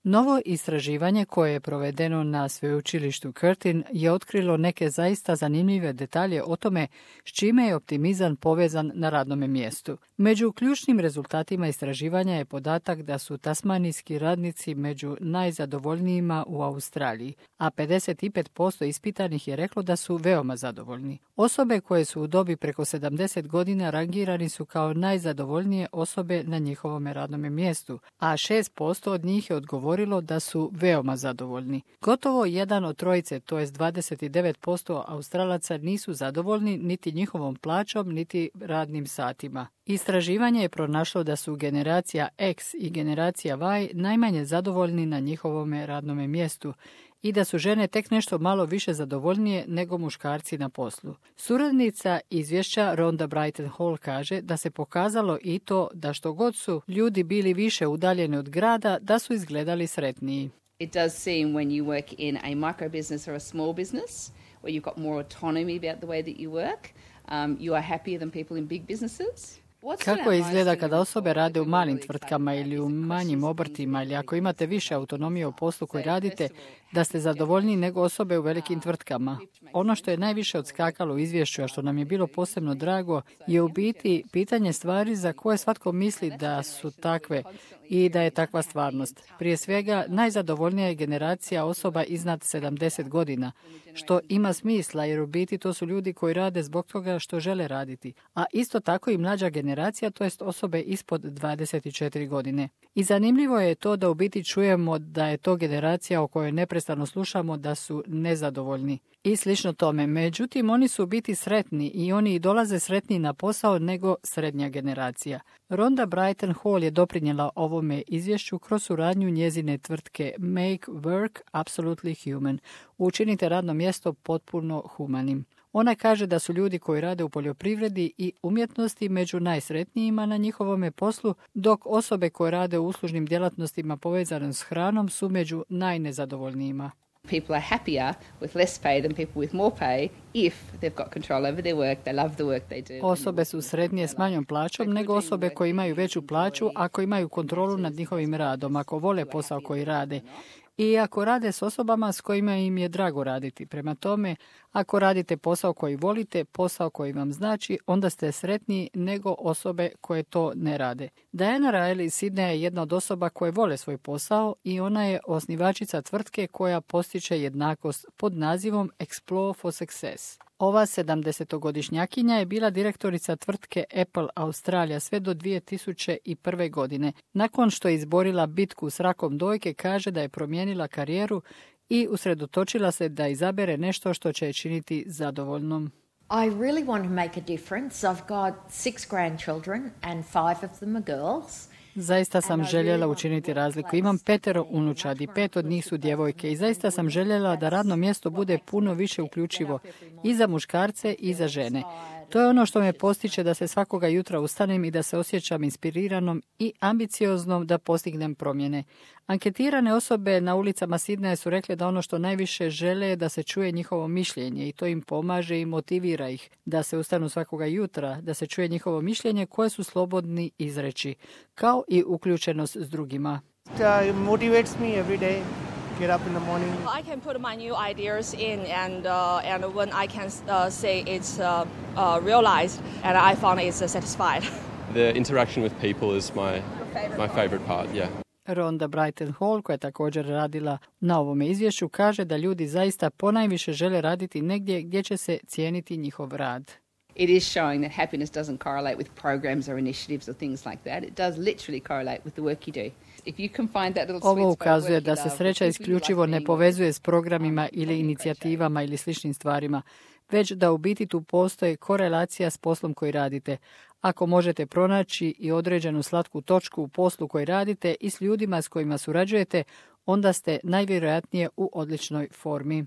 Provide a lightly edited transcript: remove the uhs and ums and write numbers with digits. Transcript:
Novo istraživanje koje je provedeno na sveučilištu Curtin je otkrilo neke zaista zanimljive detalje o tome s čime je optimizam povezan na radnom mjestu. Među ključnim rezultatima istraživanja je podatak da su tasmanijski radnici među najzadovoljnijima u Australiji, a 55% ispitanih je reklo da su veoma zadovoljni. Osobe koje su u dobi preko 70 godina rangirani su kao najzadovoljnije osobe na njihovom radnom mjestu, a 6% od njih je odgovorilo da su veoma zadovoljni. Gotovo jedan od trojice, to jest 29% Australaca, nisu zadovoljni niti njihovom plaćom, niti radnim satima. Istraživanje je pronašlo da su generacija X i generacija Y najmanje zadovoljni na njihovom radnom mjestu i da su žene tek nešto malo više zadovoljnije nego muškarci na poslu. Suradnica izvješća Rhonda Brighton Hall kaže da se pokazalo i to da što god su ljudi bili više udaljeni od grada, da su izgledali sretniji. It does seem when you work in a micro business or a small business where you've got more autonomy about the way that you work, you are happier than people in big businesses. Kako izgleda kada osobe rade u malim tvrtkama ili u manjim obrtima ili ako imate više autonomije u poslu koji radite, da ste zadovoljniji nego osobe u velikim tvrtkama? Ono što je najviše odskakalo u izvješću, a što nam je bilo posebno drago, je u biti pitanje stvari za koje svatko misli da su takve i da je takva stvarnost. Prije svega, najzadovoljnija je generacija osoba iznad 70 godina, što ima smisla jer u biti to su ljudi koji rade zbog toga što žele raditi, a isto tako i mlađa generacija, to jest osobe ispod 24 godine. I zanimljivo je to da u biti čujemo da je to generacija o kojoj neprestano slušamo da su nezadovoljni. I slično tome. Međutim, oni su u biti sretni i oni i dolaze sretniji na posao nego srednja generacija. Rhonda Brighton Hall je doprinijela ovome izvješću kroz suradnju njezine tvrtke Make Work Absolutely Human. Učinite radno mjesto potpuno humanim. Ona kaže da su ljudi koji rade u poljoprivredi i umjetnosti među najsretnijima na njihovome poslu, dok osobe koje rade u uslužnim djelatnostima povezanim s hranom su među najnezadovoljnijima. People are happier with less pay than people with more pay if they've got control over their work, they love the work they do. Osobe su sretnije s manjom plaćom nego osobe koje imaju veću plaću ako imaju kontrolu nad njihovim radom, ako vole posao koji rade. I ako rade s osobama s kojima im je drago raditi. Prema tome, ako radite posao koji volite, posao koji vam znači, onda ste sretniji nego osobe koje to ne rade. Diana Riley iz Sydneya je jedna od osoba koje vole svoj posao i ona je osnivačica tvrtke koja postiče jednakost pod nazivom Explore for Success. Ova 70-godišnjakinja je bila direktorica tvrtke Apple Australija sve do 2001. godine. Nakon što je izborila bitku s rakom dojke, kaže da je promijenila karijeru i usredotočila se da izabere nešto što će je činiti zadovoljnom. I really want to make a difference. I've got 6 grandchildren and 5 of them are girls. Zaista sam željela učiniti razliku. Imam 5 unučadi, 5 od njih su djevojke i zaista sam željela da radno mjesto bude puno više uključivo i za muškarce i za žene. To je ono što me postiče da se svakoga jutra ustanem i da se osjećam inspiriranom i ambicioznom da postignem promjene. Anketirane osobe na ulicama Sidneja su rekle da ono što najviše žele je da se čuje njihovo mišljenje i to im pomaže i motivira ih da se ustanu svakoga jutra, da se čuje njihovo mišljenje koje su slobodni izreći, kao i uključenost s drugima. It motivates me every day. Get up in the morning. I can put my new ideas in, and when I can say it's realized, and I found it's satisfied. The interaction with people is my favorite part. Yeah. Rhonda Brighton Hall, koja je također radila na ovome izvješću, kaže da ljudi zaista ponajviše žele raditi negdje gdje će se cijeniti njihov rad. It is showing that happiness doesn't correlate with programs or initiatives or things like that. It does literally correlate with the work you do. If you can find that little sweet Ovo spot of ukazuje work da you se love, sreća the people you isključivo like ne being povezuje with, s programima that's ili really inicijativama ili sličnim stvarima, već da u biti tu postoji korelacija s poslom koji radite. Ako možete pronaći i određenu slatku točku u poslu koji radite i s ljudima s kojima surađujete, onda ste najvjerojatnije u odličnoj formi.